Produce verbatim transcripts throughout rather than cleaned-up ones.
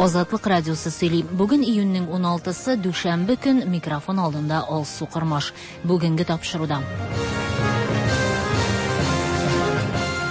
Азатлык радиосы сөйли. Бүген июньнең уналтысы, дүшәмбе көн, микрофон алдында Алсу Кормаш. Бүгенге тапшыруда.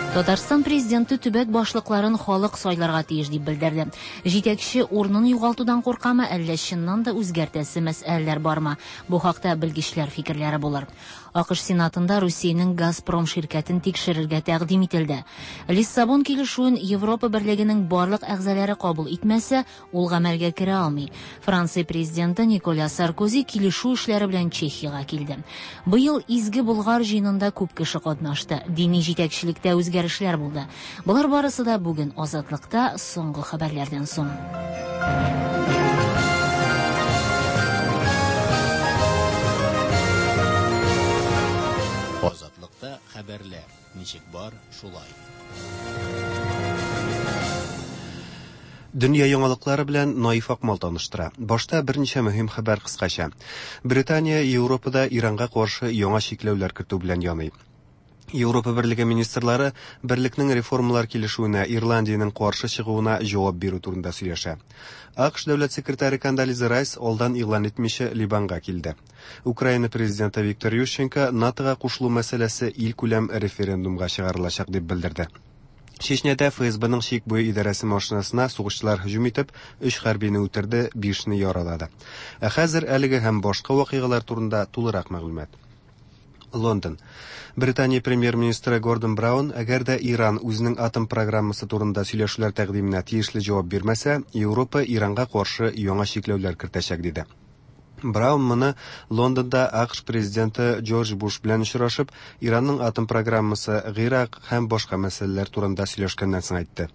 Татарстан президенты төбәк башлыкларын халык сайларга тиеш дип белдерде. Җитәкче урынын югалтудан куркамы, әллә чыннан да үзгәртәсе мәсьәләләр бармы? Бу хакта белгечләр фикерләре булыр. АКШ Сенатында Русиянең Газпром ширкәтен тикшерергә тәкъдим ителде. Лиссабон килешүен Европа берлегенең барлык әгъзалары кабул итмәсә, ул гамәлгә керә алмый. Франция президенты Николя Саркози килешү эшләре белән Чехиягә килде. Быел Изге Болгар җыенында күп кеше катнашты. Дини җитәкчелектә үзгәрешләр булды. Болар барысы да бүген Азатлыкта соңгы хәбәрләрдән соң. Азатлыкта хәбәрләр ничек бар, шулай. Дөнья яңалыклары белән Наиф Акмал таныштыра. Башта берничә мөһим хәбәр кыскача. Британия Европада Иранга каршы яңа чикләүләр кертү белән яный. Европа Берлеге министрлары берлекнең реформалар килешүенә Ирландиянең каршы чыгуына җавап бирү турында сөйләшә. АКШ дәүләт секретаре Кондолиза Райс алдан игълан итмичә Либанга килде. Украина президенты Виктор Ющенко НАТОга кушылу мәсьәләсе илкүләм референдумга чыгарылачак дип белдерде. Чечняда ФСБның чик буе идарәсе машинасына сугышчылар һөҗүм итеп, өч хәрбине үтерде, бишне яралады. Ә хәзер әлеге һәм башка вакыйгалар турында тулырак мәгълүмат. Лондон. Британия премьер-министры Гордон Браун, әгәр дә Иран үзенең атом программасы турында сөйләшүләр тәкъдименә тиешле җавап бирмәсә, Европа Иранга каршы яңа чикләүләр кертәчәк диде. Браун моны Лондонда АКШ президенты Джордж Буш белән очрашып, Иранның атом программасы, Гыйрак һәм башка мәсьәләләр турында сөйләшкәннән соң әйтте.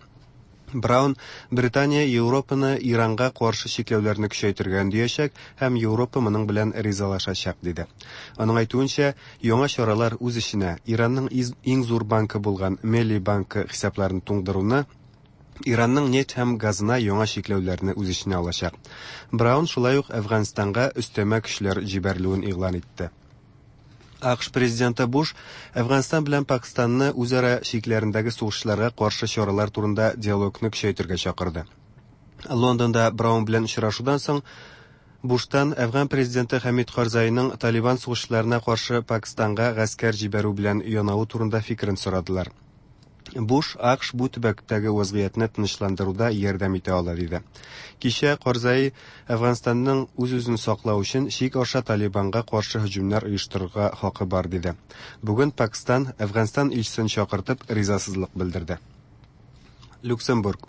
Браун Британия Европаны Иранга каршы чикләүләрне көчәйтергә өндәячәк һәм Европа моның белән ризалашачак диде. Аның әйтүенчә, яңа чаралар үз эченә Иранның иң зур банкы булган Мелли банкы хисапларын туңдыруны, Иранның нефть һәм газына яңа чикләүләрне үз эченә алачак. Браун шулай ук Әфганстанга өстәмә көчләр җибәрелүен игълан итте. АКШ президенты Буш Әфганстан белән Пакистанны үзара чикләрендәге сугышчыларга каршы чаралар турында диалогны көчәйтергә чакырды. Лондонда Браун белән очрашудан соң Буштан Әфган президенты Хәмид Карзайның Талибан сугышчыларына каршы Пакистанга гаскәр җибәрү белән янавы турында фикерен сорадылар. Буш АКШ бу төбәктәге вазгыятьне тынычландыруда ярдәм итә ала диде. Кичә Карзай Әфганстанның үз-үзен саклау өчен чик аша Талибанга каршы һөҗүмнәр оештырырга хакы бар диде. Бүген Пакистан Әфганстан илчесен чакыртып ризасызлык белдерде. Люксембург.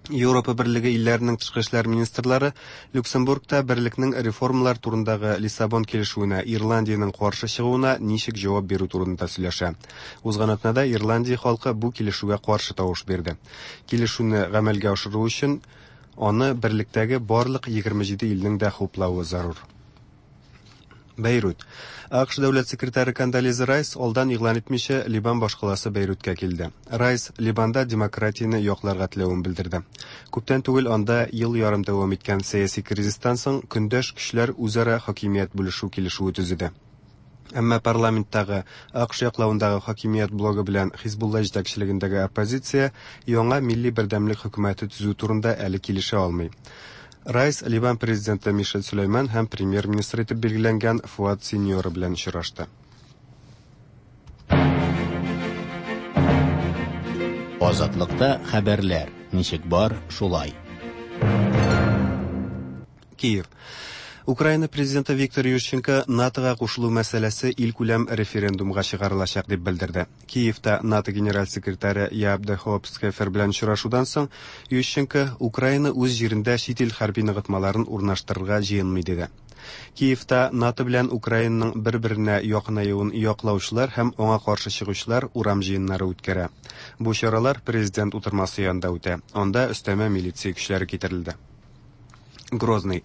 Европа Берлеге илләренең тышкы эшләр министрлары Люксембургта берлекнең реформалар турындагы Лиссабон килешүенә Ирландиянең каршы чыгуына ничек җавап бирү турында сөйләшә. Узган атнада Ирландия халкы бу килешүгә каршы тавыш бирде. Килешүне гамәлгә ашыру өчен аны берлектәге барлык егерме җиде илнең дә хуплавы зарур. Бейрут. АКШ дәүләт секретаре Кондолиза Райс алдан игълан итмичә Либан башкаласы Бейрутка килде. Райс Либанда демократияне якларга теләвен белдерде. Күптән түгел анда ел ярым дәвам иткән сәяси кризистан соң көндәш көчләр үзара хакимият бүлешү килешүе төзеде. Әмма парламенттагы АКШ яклавындагы хакимият блогы белән Хизбулла җитәкчелегендәге оппозиция яңа милли бердәмлек хөкүмәте төзү турында әле килешә алмый. Райс Либан президенты Мишель Сөләйман һәм премьер-министр итеп билгеләнгән Фуад Синьора белән очрашты. Азатлыкта хәбәрләр ничек бар, шулай. Киев. Украина президенты Виктор Ющенко НАТОга кушылу мәсьәләсе илкүләм референдумга чыгарылачак дип белдерде. Киевта НАТО генераль секретаре Яп де Хоп Схефер белән очрашудан соң Ющенко Украина үз җирендә чит ил хәрби ныгытмаларын урнаштырырга җыенмый диде. Киевта НАТО белән Украинаның бер-беренә якынаюын яклаучылар һәм аңа каршы чыгучылар урам җыеннары үткәрә. Бу чаралар президент утырмасы янында үтә. Анда өстәмә милиция көчләре китерелде. Грозный.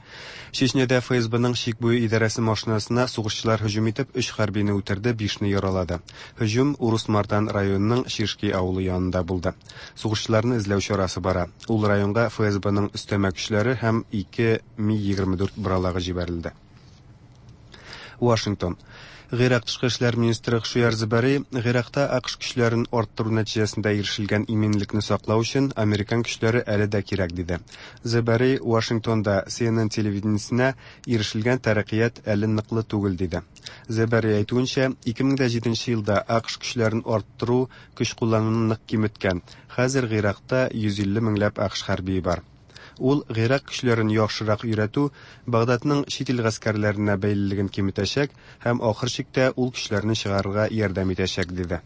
Чечняда ФСБның чик буе идарәсе машинасына сугышчылар һөҗүм итеп, өч хәрбине үтерде, бишне яралады. Һөҗүм Урус-Мартан районының Шишки авылы янында булды. Сугышчыларны эзләү чарасы бара. Ул районга ФСБның өстәмә көчләре һәм ике Ми егерме дүрт боралагы җибәрелде. Вашингтон. Гыйрак тышкы эшләр министры Хшуяр Зебари Гыйракта АКШ көчләрен арттыру нәтиҗәсендә ирешелгән иминлекне саклау өчен американ көчләре әле дә кирәк диде. Зебари Вашингтонда Си Эн Эн телевидениесенә ирешелгән тәрәккыят әле ныклы түгел диде. Зебари әйтүенчә, ике мең дә җиденче елда АКШ көчләрен арттыру көч куллануны нык киметкән. Хәзер Гыйракта йөз илле меңләп АКШ хәрбие бар. Ул Гыйрак көчләрен яхшырак өйрәтү Багдадның чит ил гаскәрләренә бәйлелеген киметәчәк һәм ахыр чиктә ул көчләрне чыгарырга ярдәм итәчәк диде.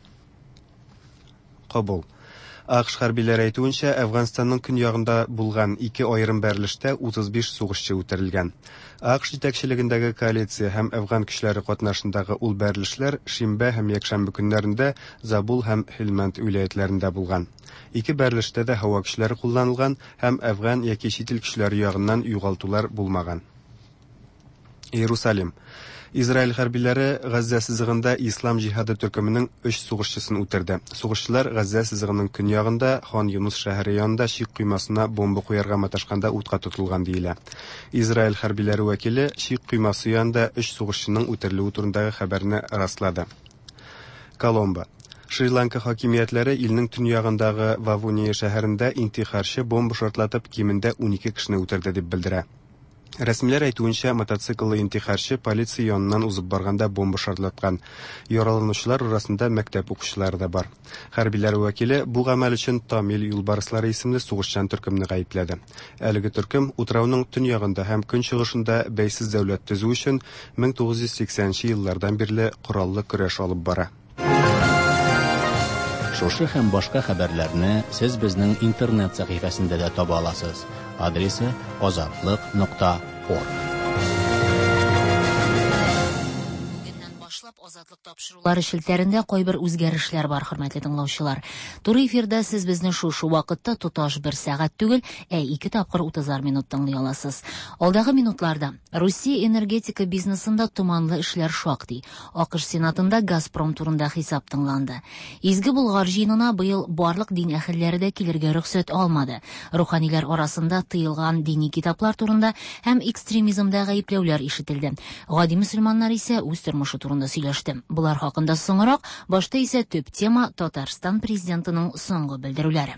Кабул. АКШ хәрбиләре әйтүенчә, Әфганстанның көньягында булган ике аерым бәрелештә утыз биш сугышчы үтерелгән. АКШ җитәкчелегендәге коалиция һәм әфган көчләре катнашындагы ул бәрелешләр шимбә һәм якшәмбе көннәрендә Забул һәм Һелмәнд вилаятләрендә булган. Ике бәрелештә дә һава көчләре кулланылган һәм әфган яки чит ил көчләре ягыннан югалтулар булмаган. Иерусалим. Израиль хәрбиләре Газзә сызыгында Ислам җиһады төркеменең өч сугышчысын үтерде. Сугышчылар Газзә сызыгының көньягында Хан Юнус шәһәре янында чик коймасына бомба куярга маташканда утка тотылган диелә. Израиль хәрбиләре вәкиле чик коймасы янында өч сугышчының үтерелүе турындагы хәбәрне раслады. Коломбо. Шри-Ланка хакимиятләре илнең төньягындагы Вавуния шәһәрендә интихарчы бомба шартлатып кимендә унике кешене үтерде дип белдерә. Рәсмиләр әйтүенчә, мотоцикллы интихарчы полиция яныннан узып барганда бомба шартлаткан. Яраланучылар арасында мәктәп укучылары да бар. Хәрбиләр вәкиле бу гамәл өчен Тамил юлбарыслары исемле сугышчан төркемне гаепләде. Әлеге төркем утрауның төньягында һәм көнчыгышында бәйсез дәүләт төзү өчен мең тугыз йөз сиксәнче еллардан бирле кораллы көрәш алып бара. Шушы һәм башка хәбәрләрне сез безнең интернет сәхифәсендә дә таба аласыз. Адресы азатлык нокта орг. Бүгеннән башлап Азатлык тапшырулары челтәрендә кайбер үзгәрешләр бар, хөрмәтле тыңлаучылар. Туры эфирда сез безне шушы вакытта тоташ бер сәгать түгел, ә ике тапкыр утызар минут тыңлый аласыз. Алдагы минутларда Русия энергетика бизнесында томанлы эшләр шактый. АКШ Сенатында Газпром турында хисап тыңланды. Изге Болгар җыенына быел барлык дин әһелләре дә килергә рөхсәт алмады. Руханилар арасында тыелган дини китаплар турында һәм экстремизмда гаепләүләр ишетелде. Гади мөселманнар исә үз тормышы турында сөйләште. Болар хакында соңрак, башта исә төп тема Татарстан президентының соңгы белдерүләре.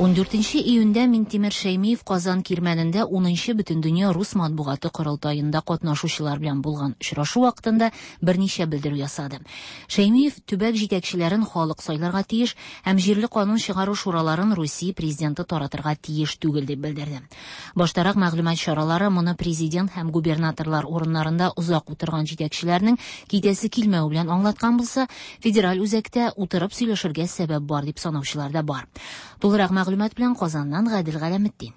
Ун дүртенче июньдә Минтимер Шәймиев Казан Кирмәнендә унынчы Бөтендөнья рус матбугаты корылтаенда катнашучылар белән булган очрашу вакытында берничә белдерү ясады. Шәймиев төбәк җитәкчеләрен халык сайларга тиеш һәм җирле канун чыгару шураларын Русия президенты таратырга тиеш түгел дип белдерде. Баштарак мәгълүмат чаралары моны президент һәм губернаторлар урыннарында озак утырган җитәкчеләрнең китәсе килмәве белән аңлаткан булса, федераль үзәктә утырып сөйләшергә сәбәп бар дип санаучылар да бар. Тулырак мәгълүмат белән Казаннан Гадел Галәметдин.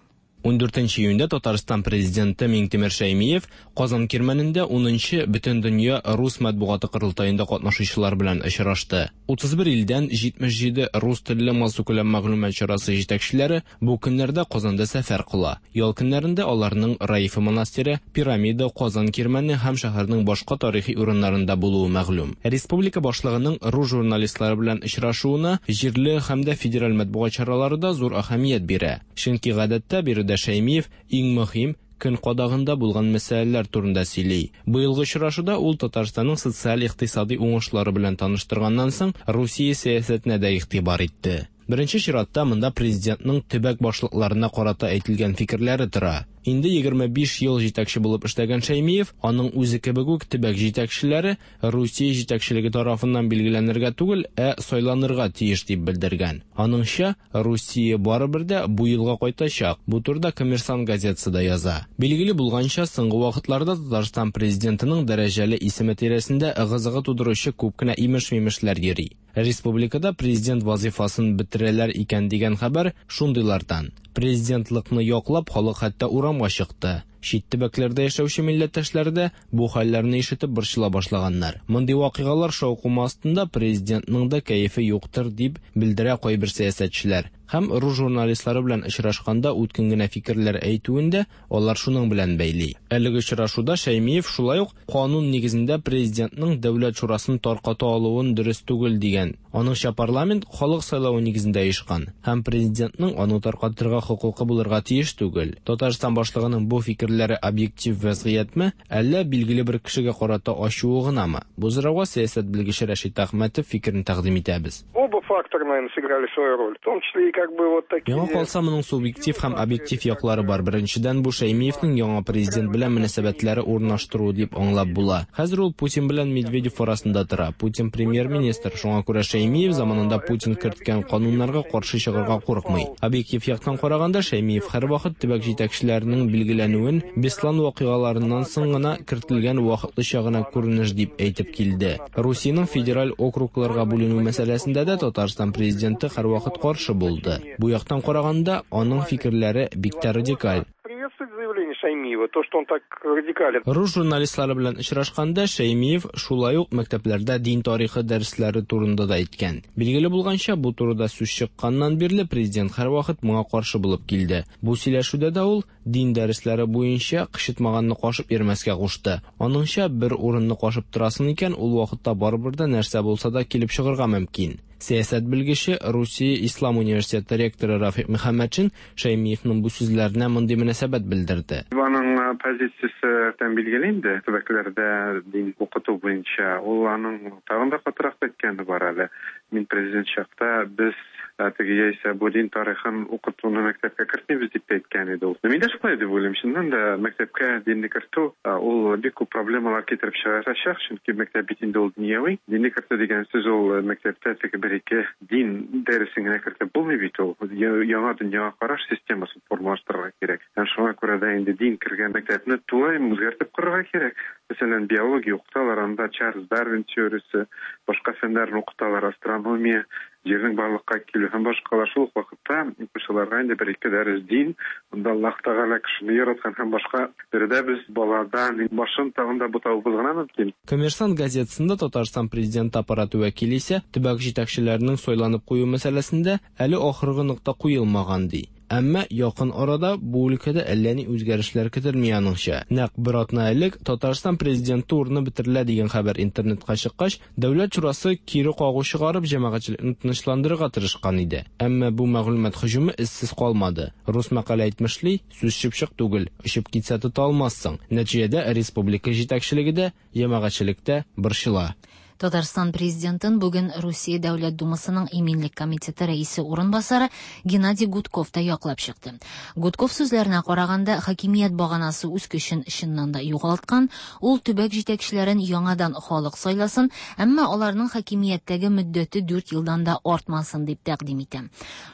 Ун дүртенче июньдә Татарстан президенты Миңтимер Шәймиев Казан Кирмәнендә унынчы Бөтендөнья рус матбугаты корылтаенда катнашучылар белән очрашты. Утыз бер илдән җитмеш җиде рус телле массакүләм мәгълүмат чарасы җитәкчеләре бу көннәрдә Казанда сәфәр кыла. Ял көннәрендә аларның Раифа монастыре, Пирамида, Казан Кирмәне һәм шәһәрнең башка тарихи урыннарында булуы мәгълүм. Республика башлыгының рус журналистлары белән очрашуына җирле һәм дә федераль матбугат чаралары да зур әһәмият бирә. Чөнки гадәттә биредә Шәймиев иң мөһим көн кадагында булган мәсьәләләр турында сөйли. Быелгы очрашуда ул Татарстанның социаль-икътисади уңышлары белән таныштырганнан соң Русия сәясәтенә дә игътибар итте. Беренче чиратта монда президентның төбәк башлыкларына карата әйтелгән фикерләре тора. Инде егерме биш ел җитәкче булып эшләгән Шәймиев, аның үзе кебек үк төбәк җитәкчеләре Русия җитәкчелеге тарафыннан билгеләнергә түгел, ә сайланырга тиеш дип белдергән. Аныңча, Русия барыбер дә бу елга кайтачак. Бу турыда Коммерсант газетасы да яза. Билгеле булганча, соңгы вакытларда Татарстан президентының дәрәҗәле исеме тирәсендә ыгы-зыгы тудыручы күп кенә имеш-мимешләр йөри. Республикада президент вазифасын бетерәләр икән дигән хәбәр шундыйлардан. Президентлыкны яклап халык хәтта урамга чыкты. Чит төбәкләрдә яшәүче милләттәшләр дә бу хәлләрне ишетеп борчыла башлаганнар. Мондый вакыйгалар шаукымы астында президентның да кәефе юктыр дип белдерә кайбер сәясәтчеләр. Һәм рус журналистлары белән очрашканда үткен генә фикерләр әйтүен дә алар шуның белән бәйли. Әлеге очрашуда Шәймиев шулай ук канун нигезендә президентның Дәүләт шурасын тарката алуын дөрес түгел дигән. Аныңча, парламент халык сайлавы нигезендә оешкан һәм президентның аны таркатырга хокукы булырга тиеш түгел. Татарстан башлыгының бу фикерләре объектив вазгыятьме, әллә билгеле бер кешегә карата ачуы гынамы? Бу сорауга сәясәт белгече Рәшит Әхмәтов фикерен тәкъдим итәбез. Оба фактора, наверное, сыграли свою роль, в том числе и как бы вот такие. Миңа калса, моның субъектив һәм объектив яклары бар. Беренчедән, бу Шәймиевнең яңа президент белән мөнәсәбәтләре урнаштыруы дип аңлап була. Хәзер ул Путин белән Медведев арасында тора. Путин премьер-министр, шуңа күрә Шәймиев заманында Путин керткән кануннарга каршы чыгарга курыкмый. Объектив яктан караганда, Шәймиев һәрвакыт төбәк җитәкчеләренең билгеләнүен Беслан вакыйгаларыннан соң гына кертелгән вакытлыча гына күренеш дип әйтеп килде. Русиянең федераль округларга бүленү мәсьәләсендә дә Татарстан президенты һәрвакыт каршы булды. Бу яктан караганда, аның фикерләре бик тә радикаль. Приветствует заявление Шаймиева, то, что он так радикален. Рус журналистлары белән очрашканда Шәймиев шулай ук мәктәпләрдә дин тарихы дәресләре турында да әйткән. Билгеле булганча, бу турыда сүз чыкканнан бирле президент һәрвакыт моңа каршы булып килде. Бу сөйләшүдә дә ул дин дәресләре буенча кычытмаганны кашып йөрмәскә кушты. Аныңча, бер урынны кашып торасың икән, ул вакытта барыбер дә нәрсә булса да килеп чыгарга мөмкин. Сәясәт белгече, Русия Ислам университеты ректоры Рафик Мөхәммәтшин Шәймиевның бу сүзләренә мондый мөнәсәбәт белдерде. Аның позициясе тән билгеле инде, төбәкләрдә дин укыту буенча. Ул аның тагын да катырак әйткәне бар әле. Мин президент чакта без теге яисә бу дин тарихын укытуны мәктәпкә кертмибез дип әйткән иде ул. Мин дә шулай дип уйлыйм. Чыннан да мәктәпкә динне кертү ул бик күп проблемалар китереп чыгарачак, чөнки мәктәп бит инде ул дөньяви. Динне кертү дигән сүз ул мәктәптә теге бер-ике дин дәресен генә кертеп булмый бит ул. Яңа дөньяга караш системасын формалаштырырга кирәк. Һәм шуңа күрә дә инде дин кергән мәктәпне тулаем үзгәртеп корырга кирәк. Мәсәлән, биология укыталар, анда Чарльз Дарвин теориясе, башка фәннәрне укыталар, астрономия, җирнең барлыкка килү һәм башкалар. Шул ук вакытта укучыларга инде бер-ике дәрес дин, анда Аллаһ Тәгалә кешене яраткан һәм башка. Биредә без баладан башын тагын да бутавыбыз гына мөмкин. Коммерсант газетасында Татарстан президенты аппараты вәкиле исә төбәк җитәкчеләренең сайланып кую мәсьәләсендә әле ахыргы нокта куелмаган ди. Әмма якын арада бу өлкәдә әллә ни үзгәрешләр көтелми аныңча. Нәкъ бер атна элек Татарстан президенты урыны бетерелә дигән хәбәр интернетка чыккач, Дәүләт шурасы кире кагу чыгарып җәмәгатьчелекне тынычландырырга тырышкан иде. Әмма бу мәгълүмат һөҗүме эзсез калмады. Рус мәкале әйтмешли, сүз чыпчык түгел, очып китсә тота алмассың. Нәтиҗәдә республика җитәкчелеге дә, җәмәгатьчелек тә борчыла. Татарстан президентын бүген Русия Дәүләт Думасының Иминлек комитеты рәисе урынбасары Геннадий Гудков та яклап чыкты. Гудков сүзләренә караганда, хакимият баганасы үз көчен чыннан да югалткан, ул төбәк җитәкчеләрен яңадан халык сайласын, әмма аларның хакимияттәге мөддәте дүрт елдан да артмасын дип тәкъдим итә.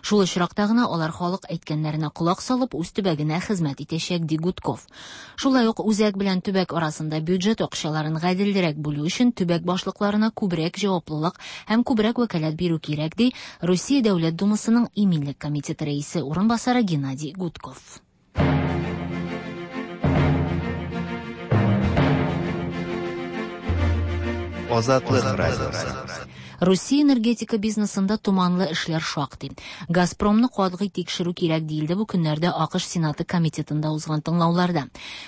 Шул очракта гына алар халык әйткәннәренә колак салып үз төбәгенә хезмәт итәчәк, ди Гудков. Шулай ук үзәк белән төбәк арасында бюджет акчаларын гаделрәк бүлү өчен төбәк башлыклары күбрәк җаваплылык һәм күбрәк вәкаләт бирү кирәк, ди Русия Дәүләт Думасының Иминлек комитеты рәисе урынбасары Геннадий Гудков. Азатлык радиосы. Русия энергетика бизнесында туманлы эшләр шактый. Газпромны катгый тикшерү кирәк диелде бу көннәрдә АКШ Сенаты комитетында узган тыңлауларда.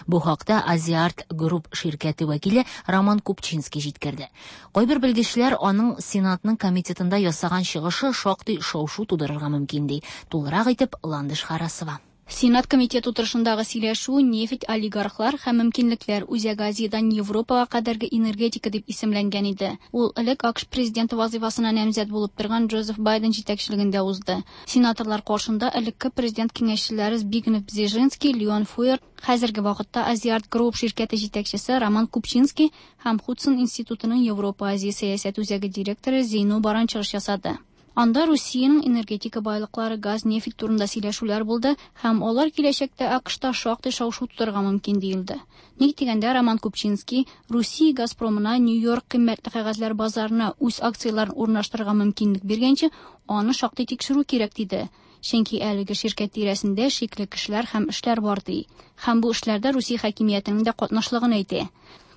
Бу хакта Азиарт Групп ширкәте вәкиле Роман Купчинский җиткерде. Кайбер белгечләр аның Сенатның комитетында ясаган чыгышы шактый шау-шу тудырырга мөмкин ди. Тулырак итеп Ландыш Харасова. Сенат комитеты утырышындагы сөйләшү нефть олигархлар һәм мөмкинлекләр Үзәк Азиядән Европага кадәрге энергетика дип исемләнгән иде. Ул элек АКШ президенты вазифасына намзәт булып торган Джозеф Байден җитәкчелегендә узды. Сенаторлар каршында элекке президент киңәшчеләре Збигнев Бзежинский, Леон Фуэр, хәзерге вакытта Азиарт Групп ширкәте җитәкчесе Роман Купчинский һәм Худсон институтының Европа Азия сәясәт үзәге директоры Зейно Баран чыгыш ясады. Анда Русиянең энергетика байлыклары, газ, нефть турында сөйләшүләр булды һәм алар киләчәктә АКШта шактый шау-шу тудырырга мөмкин диелде. Ник дигәндә, Роман Купчинский Русия Газпромына Нью-Йорк кыйммәтле кәгазьләр базарына үз акцияләрен урнаштырырга мөмкинлек биргәнче, аны шактый тикшерү кирәк диде. Чөнки әлеге ширкәт тирәсендә шикле кешеләр һәм эшләр бар ди. Һәм бу эшләрдә Русия хакимиятенең дә катнашлыгын әйтә.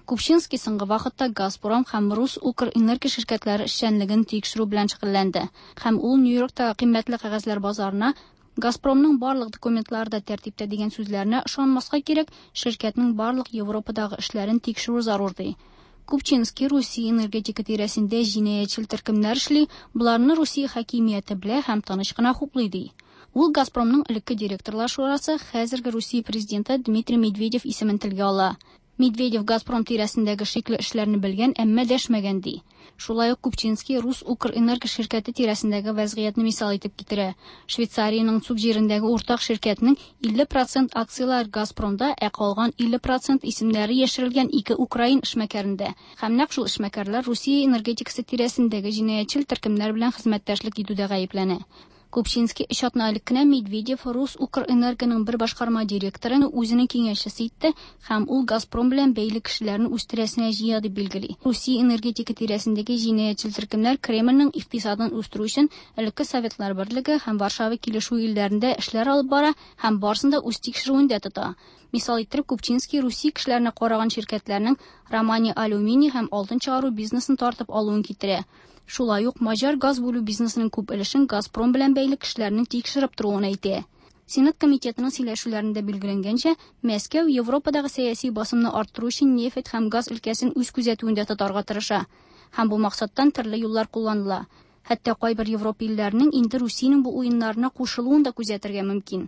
Купчинский соңгы вакытта Газпром һәм Рус Укрэнерго ширкәтләре эшчәнлеген тикшерү белән шөгыльләнде. Һәм ул Нью-Йорктагы кыйммәтле кәгазьләр базарына Газпромның барлык документлары да тәртиптә дигән сүзләренә ышанмаска кирәк, ширкәтнең барлык Европадагы эшләрен тикшерү зарур ди. Купчинский Русия энергетика тирәсендә җинаятьчел төркемнәр эшли, боларны Русия хакимияте белә һәм тыныч кына хуплый ди. Ул Газпромның элекке директорлар шурасы, хәзерге Русия президенты Дмитрий Медведев исемен телгә ала. Медведев Газпром тирәсендәге шикле эшләрне белгән, әмма дәшмәгән ди. Шулай ук Купчинский Рус Укрэнерго ширкәте тирәсендәге вәзгыятьне мисал итеп китерә. Швейцариянең Цуг җирендәге уртак ширкәтнең илле процент акцияләр Газпромда, ә калган илле процент исемнәре яшерелгән ике украин эшмәкәрендә. Һәм нәкъ шул эшмәкәрләр Русия энергетикасы тирәсендәге җинаятьчел төркемнәр белән хезмәттәшлек итүдә гаепләнә. Купчинский өч атна элек кенә Медведев Рус Укрэнергоның бер башкарма директорын үзенең киңәшчесе итте һәм ул Газпром белән бәйле кешеләрне үз тирәсенә җыя дип билгели. Русия энергетика тирәсендәге җинаятьчел төркемнәр Кремльнең икътисадын үстерү өчен элекке Советлар Берлеге һәм Варшава килешүе илләрендә эшләр алып бара һәм барысын да үз тикшерүендә тота. Мисал иттереп, Купчинский Русия кешеләренә караган ширкәтләрнең Романия алюминий һәм алтын чыгару бизнесын тартып алуын китерә. Шулай ук маҗар газ бүлү бизнесының күп өлешен Газпром белән бәйле кешеләрнең тикшереп торуын әйтә. Сенат комитетының сөйләшүләрендә билгеләнгәнчә, Мәскәү Европадагы сәяси басымны арттыру өчен нефть һәм газ өлкәсен үз күзәтүендә тотарга тырыша. Һәм бу максаттан төрле юллар кулланыла. Хәтта кайбер Европа илләренең инде Русиянең бу уеннарына кушылуын да күзәтергә мөмкин.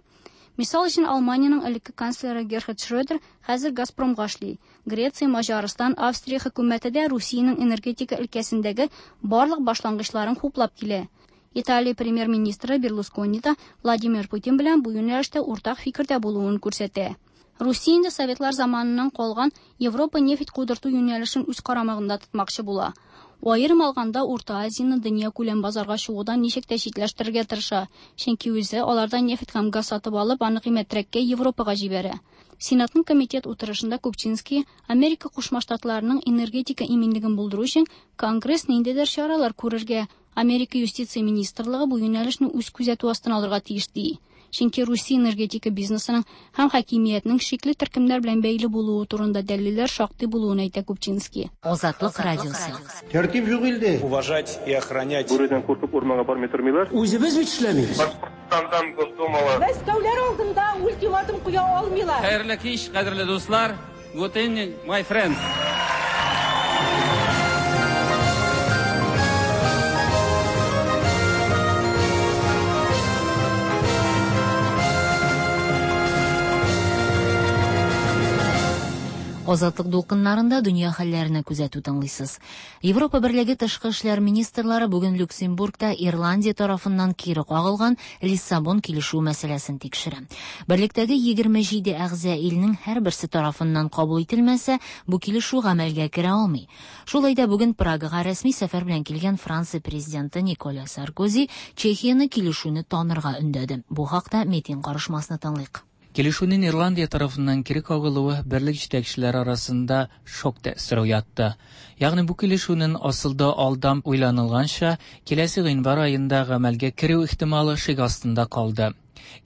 Мисал өчен, Алманиянең элекке канцлеры Герхард Шрёдер хәзер Газпромга эшли. Греция, Маҗарстан, Австрия хөкүмәте дә Русиянең энергетика өлкәсендәге барлык башлангычларын хуплап килә. Италия премьер-министры Берлускони да Владимир Путин белән бу юнәлештә уртак фикердә булуын күрсәтә. Русия инде Советлар заманыннан калган Европа нефть кудырту юнәлешен үз карамагында тотмакчы була. Аерым алганда Урта Азияны дөнья күләм базарга чыгудан ничек тә читләштерергә тырыша, чөнки үзе алардан нефть һәм газ сатып алып, аны кыйммәтрәккә Европага җибәрә. Сенатның комитет утырышында Купчинский Америка Кушма Штатларының энергетика иминлеген булдыру өчен Конгресс ниндидер чаралар күрергә, Америка юстиция министрлыгы бу юнәлешне үз күзәтү астына алырга тиеш ди. Чөнки Русия энергетика бизнесының һәм хакимиятнең шикле төркемнәр белән бәйле булуы турында дәлилләр шактый булуын әйтә Купчинский. Азатлык радиосы. Тәртип юк илдә. Уважать и охранять. Бүредән куркып урманга бармый тормыйлар. Үзебез бит эшләмибез. Башкортстандан Госдумала. Мәскәүләр алдында ультиматум куя алмыйлар. Хәерле кич, кадерле дуслар. Good evening, my friends. Азатлык дулкыннарында дөнья хәлләренә күзәтү тыңлыйсыз. Европа Берлеге тышкы эшләр министрлары бүген Люксембургта Ирландия тарафыннан кире кагылган Лиссабон килешүе мәсьәләсен тикшерә. Берлектәге егерме җиде әгъза илнең һәрберсе тарафыннан кабул ителмәсә, бу килешү гамәлгә керә алмый. Шулай да бүген Прагага рәсми сәфәр белән килгән Франция президенты Николя Саркози Чехияне килешүне танырга өндәде. Бу хакта Метин карышмасны тыңлыйк. Килешүнең Ирландия тарафыннан кире кагылуы берлек җитәкчеләре арасында шок тәэсире уятты. Ягъни бу килешүнең асылда алдан уйланылганча киләсе гыйнвар аенда гамәлгә керү ихтималы шик астында калды.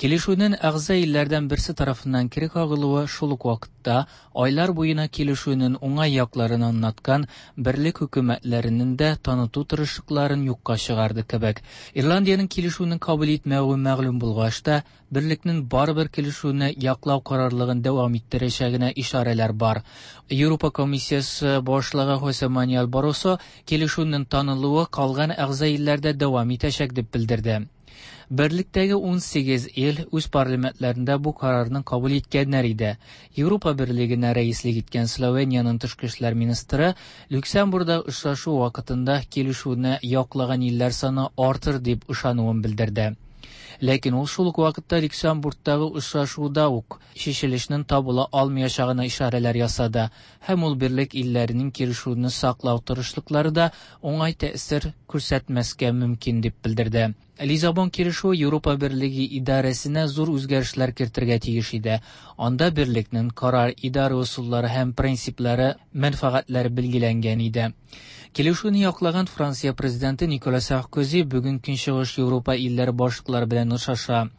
Килешүнең әгъза илләрдән берсе тарафыннан кире кагылуы шул ук вакытта айлар буена килешүнең уңай якларын аңлаткан берлек хөкүмәтләренең дә таныту тырышлыкларын юкка чыгарды кебек. Ирландиянең килешүне кабул итмәве мәгълүм булгач та, берлекнең барыбер килешүне яклау карарлыгын дәвам иттерәчәгенә ишарәләр бар. Европа комиссиясе башлыгы Хосе Мануэль Барросо килешүнең танылуы калган әгъза илләрдә дәвам итәчәк дип белдерде. Берлектәге ун сигез ил үз парламентларында бу карарны кабул иткәннәр иде. Европа Берлегенә рәислек иткән Словениянең тышкы эшләр министры Люксембургда очрашу вакытында килешүне яклаган илләр саны артыр дип ышануын белдерде. Ләкин ул шул ук вакытта Люксембургтагы очрашуда ук чишелешнең табыла алмаячагына ишарәләр ясады һәм ул берлек илләренең килешүне саклау тырышлыклары да уңай тәэсир күрсәтмәскә мөмкин дип белдерде. Лиссабон килешүе Европа Берлеге идарәсенә зур үзгәрешләр кертергә тиеш иде. Анда берлекнең карар идарә ысуллары һәм принциплары, мәнфәгатьләре билгеләнгән иде. Килешүне яклаган Франция президенты Никола Саркози бүген Көнчыгыш Европа илләре башлыклары белән белән охшаша.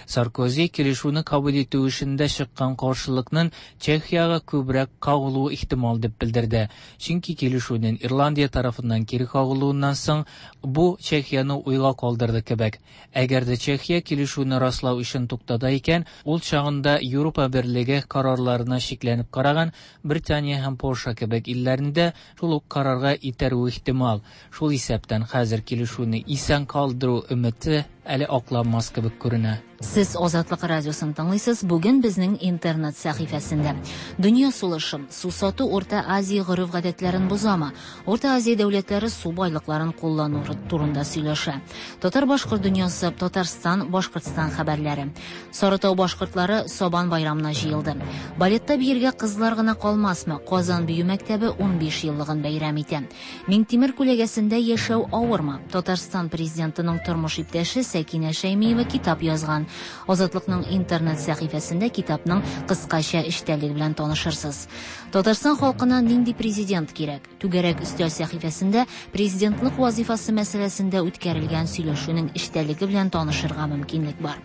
Саркози килешүне кабул итү эшендә чыккан каршылыкның Чехиягә күбрәк кагылуы ихтимал дип белдерде. Чөнки килешүнең Ирландия тарафыннан кире кагылуыннан соң бу Чехияне уйга калдырды кебек. Әгәр дә Чехия килешүне раслау эшен туктата икән, ул чагында Европа берлеге карарларына шикләнеп караган Британия һәм Польша кебек илләрне дә шул ук карарга итәрүе ихтимал. Шул исәптән хәзер килешүне исән калдыру өмете әле акланмас кебек күренә. Сез Азатлык радиосын тыңлыйсыз. Бүген безнең интернет сәхифәсендә Дөнья сулышы, су сату Урта Азия гореф-гадәтләрен бозамы? Урта Азия дәүләтләре су байлыкларын куллану турында сөйләшә. Татар-башкорт дөньясы, Татарстан, Башкортстан хәбәрләре. Сарытау башкортлары Сабан байрамына җыелды. Балетта биергә кызлар гына калмасмы? Казан бию мәктәбе унбиш еллыгын бәйрәм итә. Миңтимер күләгәсендә яшәү авырмы? Татарстан президентының тормыш иптәше Сәкинә Шәймиева китап язган. Азатлыкның интернет сәхифәсендә китапның кыскача эчтәлеге белән танышырсыз. Татарстан халкына нинди президент кирәк? Түгәрәк өстәл сәхифәсендә президентлык вазифасы мәсьәләсендә үткәрелгән сөйләшүнең эчтәлеге белән танышырга мөмкинлек бар.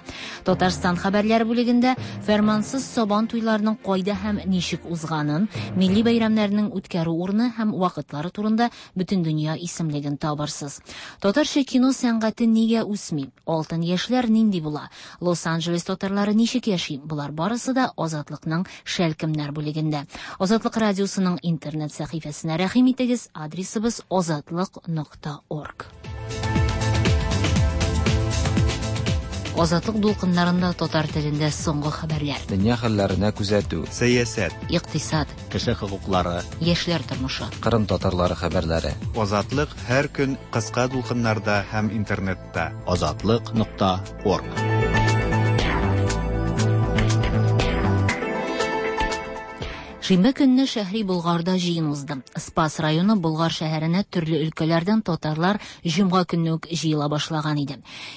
Татарстан хәбәрләре бүлегендә фәрмансыз Сабан туйларының кайда һәм ничек узганын, милли бәйрәмнәрнең үткәрү урыны һәм вакытлары турында бөтен дөнья исемлеген табарсыз. Татарча кино сәнгате нигә үсми? Алтын яшьләр нинди була? Лос-Анджелес татарлары ничек яши? Болар барысы да Азатлыкның шәлкемнәр бүлегендә. Азатлык радиосының интернет сәхифәсенә рәхим итегез. Адресыбыз азатлык нокта орг. Азатлык дулкыннарында татар телендә соңгы хәбәрләр. Дөнья хәлләренә күзәтү, сәясәт, икътисад, кеше хокуклары, яшьләр тормышы, Кырым татарлары хәбәрләре. Азатлык һәр көн кыска дулкыннарда һәм интернетта. Азатлык нокта орг. Шимбә көнне Шәһри Болгарда җыен узды. Спас районы Болгар шәһәренә төрле өлкәләрдән татарлар җомга көнне үк җыела башлаган иде.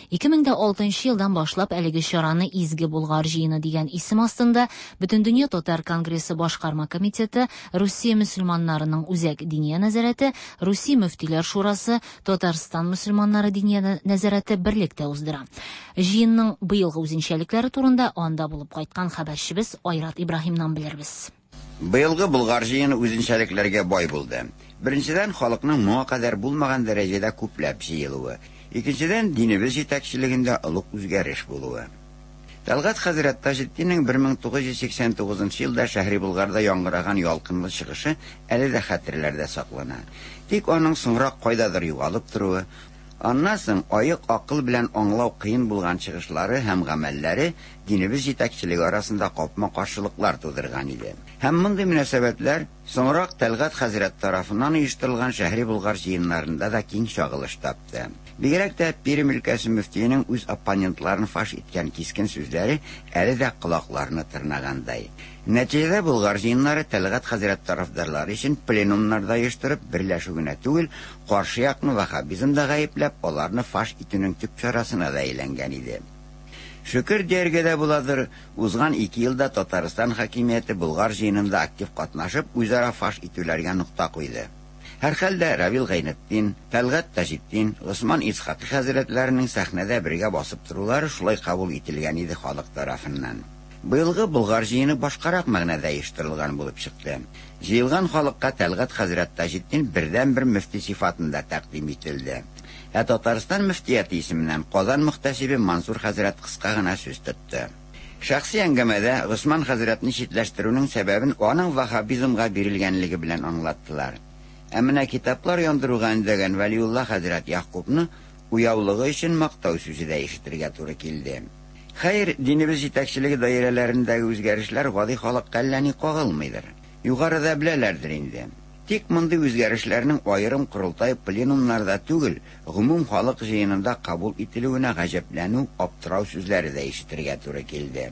ике мең дә алтынчы елдан башлап әлеге чараны Изге Болгар җыены дигән исем астында Бөтендөнья татар конгрессы башкарма комитеты, Русия мөселманнарының үзәк диния нәзарәте, Русия мөфтиләр шурасы, Татарстан мөселманнары диния нәзарәте берлектә уздыра. Җыенның быелгы үзенчәлекләре турында анда булып кайткан хәбәрчебез Айрат Ибраһимнан белербез. Быелгы Болгар җыены үзенчәлекләргә бай булды. Беренчедән, халыкның моңа кадәр булмаган дәрәҗәдә күпләп җыелуы. Икенчедән, динебез җитәкчелегендә олуг үзгәреш булуы. Тәлгать хәзрәт Таҗетдиннең бер мең тугыз йөз сиксән тугызынчы елда Шәһри Болгарда яңгыраган ялкынлы чыгышы әле дә хәтерләрдә саклана. Тик аның соңрак кайдадыр югалып торуы, аннан соң аек акыл белән аңлау кыен булган чыгышлары һәм гамәлләре динебез җитәкчелеге арасында капма-каршылыклар тудырган иде. Һәм мондый мөнәсәбәтләр соңрак Тәлгать хәзрәт тарафыннан оештырылган Шәһри Болгар җыеннарында да киң чагылыш тапты. Бигрәк тә Пермь өлкәсе мөфтиенең үз оппонентларын фаш иткән кискен сүзләре әле дә колакларны тырнагандай. Нәтиҗәдә Болгар җыеннары Тәлгать хәзрәт тарафдарлары өчен пленумнарда оештырып берләшү генә түгел, каршы якны ваххабизмда гаепләп, аларны фаш итүнең төп чарасына да әйләнгән иде. Шөкер дияргә дә буладыр, узган ике елда Татарстан хакимияте Болгар җыенында актив катнашып, үзара фаш итүләргә нокта куйды. Һәр хәлдә Равил Гайнетдин, Тәлгать Таҗетдин, Госман Исхакый хәзрәтләренең сәхнәдә бергә басып торулары шулай кабул ителгән иде халык тарафыннан. Быелгы Болгар җыены башкарак мәгънәдә оештырылган булып чыкты. Җыелган халыкка Тәлгать хәзрәт Таҗетдин бердән-бер мөфти сифатында тәкъдим ителде. Ә Татарстан мөфтияте исеменнән Казан мөхтәсибе Мансур хәзрәт кыска гына сүз тотты. Шәхси әңгәмәдә Госман хәзрәтне читләштерүнең сәбәбен аның ваххабизмга бирелгәнлеге белән аңлаттылар. Ә менә китаплар яндыруга өндәгән Вәлиулла хәзрәт Якубны уяулыгы өчен мактау сүзе дә ишетергә туры килде. Хәер, динебез җитәкчелеге даирәләрендәге үзгәрешләр гади халыкка әллә ни кагылмыйдыр. Югарыда беләләрдер инде. Тик мондый үзгәрешләрнең аерым корылтай пленумнарда түгел, гомум халык җыенында кабул ителүенә гаҗәпләнү, аптырау сүзләре дә ишетергә туры килде.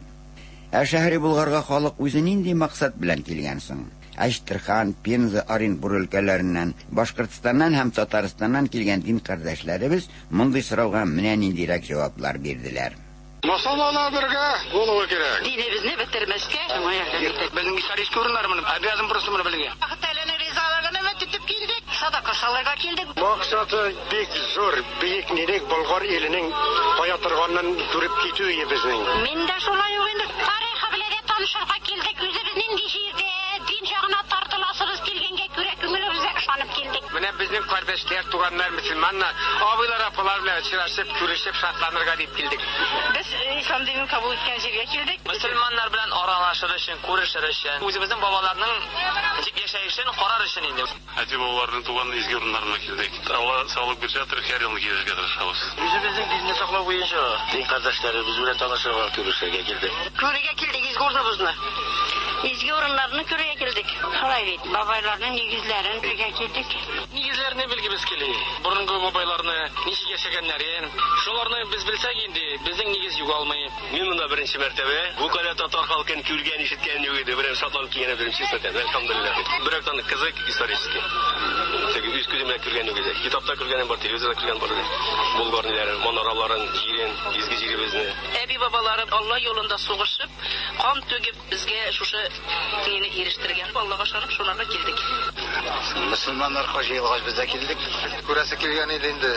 Ә Шәһри Болгарга халык үзе нинди максат белән килгән соң? Әчтерхан, Пенза, Оренбург өлкәләреннән, Башкортстаннан һәм Татарстаннан килгән дин кардәшләребез мондый сорауга менә ниндирәк җаваплар бирделәр. Мусульманнар бергә булуы кирәк. Динебезне бетермәскә, шуңа ярдәм итә. Безнең историк урыннар моны, обязан просто моны белергә. Аллаһ Тәгаләнең ризалыгын өмет итеп килдек. Садака салырга килдек. Максаты бик зур, бөек нинек Болгар иленең кая торганын күреп китү безнең. Мин дә шулай ук инде тарихы белән дә танышырга килдек. Үзебез нинди җирдә дин ягына тартыласыбыз килгәнгә күрә күңелебезгә ышанып килдек. Менә безнең кардәшләр, туганнар, мөселманнар, абыйлар, апалар белән очрашып, күрешеп, шатланырга дип килдек. Без ислам динен кабул иткән җиргә килдек. Мөселманнар белән аралашыр өчен, күрешер өчен, үзебезнең бабаларның ничек яшәешен карар өчен инде. Әти-бабаларның туган изге урыннарына килдек. Алла саулык бирсә, һәр елны килергә тырышабыз. Үзебезнең динне саклау буенча дин кардәшләребез белән танышырга, күрешергә килдек. Күрергә килдек изге урыныбызны. Изге урыннарны күрергә килдек. Шулай бит, бабайларның нигезләрен күрергә килдек. Нигезләрне белгебез килә. Борынгы бабайларны ничек яшәгәннәрен, шуларны без белсәк инде, безнең нигез югалмый. Мин монда беренче мәртәбә бу кадәр татар халкын күргән, ишеткән юк иде. Берәм шатланып килгән беренче сәтәм. Әлхәмдүлилләһ. Берәктән кызык исторический. Теге үз күзем белән күргән юк иде. Китапта күргәнем бар, телевизорда күргән бар иде. Болгар ниләрен, манараларын, җирен, изге җиребезне. Әби бабалары Алла юлында сугышып, кан түгеп безгә шушы мине ирештергән. Аллага ышанып шунарга килдек. Мөселманнар җыелгач без дә килдек. Күрәсе килгән иде инде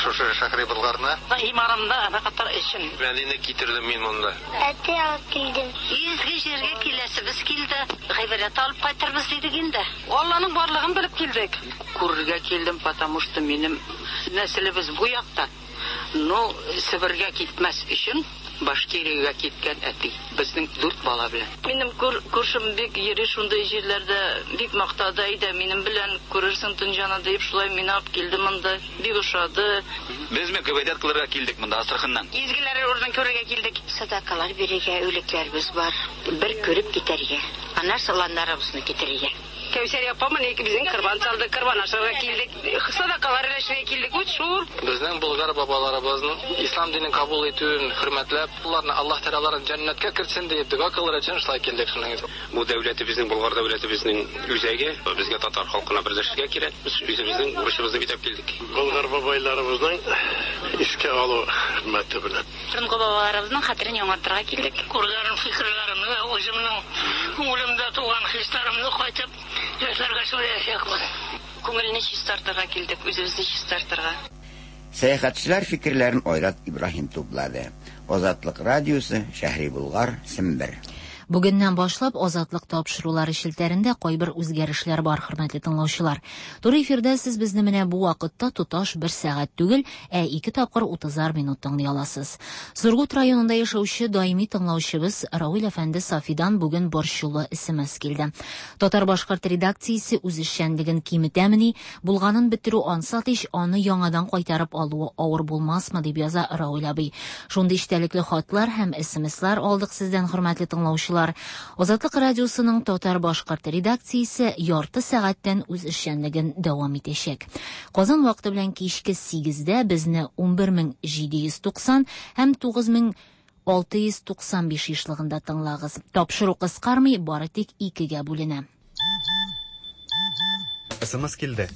шушы Шәһри Болгарны. Иманымда ана өчен. Мәдинә китердем мин монда. Әти алып килдем. Изге җиргә киләсебез килде. Гыйбадәт алып кайтырбыз дидек инде. Алланың барлыгын белеп килдек. Күрергә килдем, потому что минем нәселебез бу якта. Но Себергә китмәс өчен Башкириягә киткән әти. Безнең дүрт бала белән. Минем күршем бик йөри шундый җирләрдә, бик мактады, әйдә минем белән күрерсең Төнҗаны дип, шулай мине алып килде монда. Бик ошады. Без ме гыйбадәт кылырга килдек монда Астраханнан. Изгеләр урынын күрергә килдек. Садакалар бирергә үлекләребез бар. Бер күреп китәргә. Аннан саланнарыбызны китерергә. Кәүсәр апам менә безнең корбан салды, корбан ашарга килдек. Садакалар өләшергә килдек. Үт шул. Безнең болгар бабаларыбызның ислам динен кабул итүен хөрмәтләп, уларны Аллаһ Тәгалә җәннәткә кертсен дип дога кылыр өчен шулай килдек шуның. Бу дәүләтебезнең, Болгар дәүләтебезнең үзәге. Безгә татар халкына берләшергә кирәк. Без үзебезнең бурычыбызны үтәп килдек. Болгар бабайларыбызның искә алу хөрмәте белән. Борынгы бабаларыбызның хәтерен яңартырга килдек. Күргән фикерләремне, үземнең күңелемдә туган хисләремне кайтып яшьләргә сөйләячәкмен. Күңелне чистартырга килдек, үзебезне чистартырга. Сәяхәтчеләр фикерләрен Айрат Ибраһим туплады. Азатлык радиосы, Шәһри Болгар, Сембер. Бүгеннән башлап Азатлык тапшырулары челтәрендә кайбер үзгәрешләр бар, хөрмәтле тыңлаучылар. Туры эфирдә сез безне менә бу вакытта тоташ бер сәгать түгел, ә ике тапкыр утызар минут тыңлый аласыз. Сургут районында яшәүче даими тыңлаучыбыз Равил әфәнде Сафидан бүген борчулы эс эм эс килде. Татар-башкорт редакциясе үз эшчәнлеген киметәмени, булганын бетерү ансат ич, аны яңадан кайтарып алуы авыр булмасмы дип яза Равил абый. Шундый эчтәлекле хатлар һәм эс эм эслар алдык сездән, хөрмәтле тыңлаучылар. Азатлык радиосының татар-башкорт редакциясе ярты сәгатьтән үз эшчәнлеген дәвам итәчәк. Казан вакыты белән кичке сигездә безне унбер мең җиде йөз туксан һәм тугыз мең алты йөз туксан биш ешлыгында тыңлагыз. Тапшыру кыскармый, бары тик икегә бүленә. эс эм эс килде.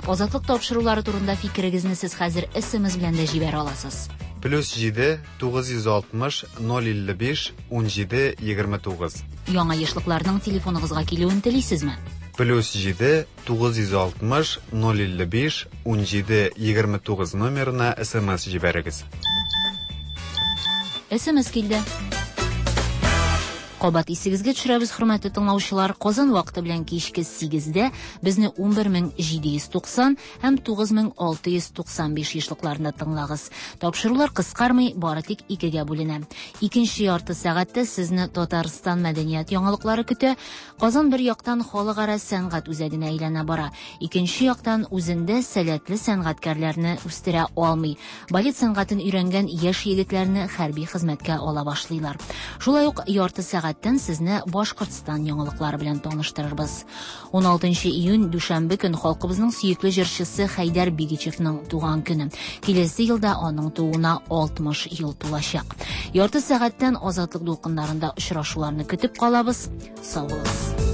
Азатлык тапшырулары турында фикерегезне сез хәзер эс эм эс белән дә җибәрә аласыз. Плюс җиде, тугыз йөз алтмыш, ноль илле биш, ун җиде, егерме тугыз. Яңа ешлыкларның телефоныгызга килүен телисезме? Плюс җиде, тугыз йөз алтмыш, ноль илле биш, ун җиде, егерме тугыз номерына эс эм эс җибәрегез. эс эм эс килде. Кабат исегезгә төшерәбез, хөрмәтле тыңлаучылар, Казан вакыты белән кичке сигездә безне унбер мең җиде йөз туксан һәм тугыз мең алты йөз туксан биш ешлыкларында тыңлагыз. Тапшырулар кыскармый, бары тик икегә бүленә. Икенче ярты сәгатьтә сезне Татарстан мәдәният яңалыклары көтә. Казан бер яктан халыкара сәнгать үзәгенә әйләнә бара, икенче яктан үзендә сәләтле сәнгатькәрләрне үстерә алмый. Балет сәнгатен өйрәнгән яшь егетләрне хәрби хезмәткә ала башлыйлар. Шулай ук ярты сәгать Сәгатьтән сезне Башкортстан яңалыклары белән таныштырырбыз. ун алтынчы июнь дүшәмбе көн халкыбызның сөекле җырчысы Хәйдәр Бигичевның туган көне. Киләсе елда аның тууына алтмыш ел тулачак. Ярты сәгатьтән Азатлык дулкыннарында очрашуларны көтеп калабыз. Сау булыгыз.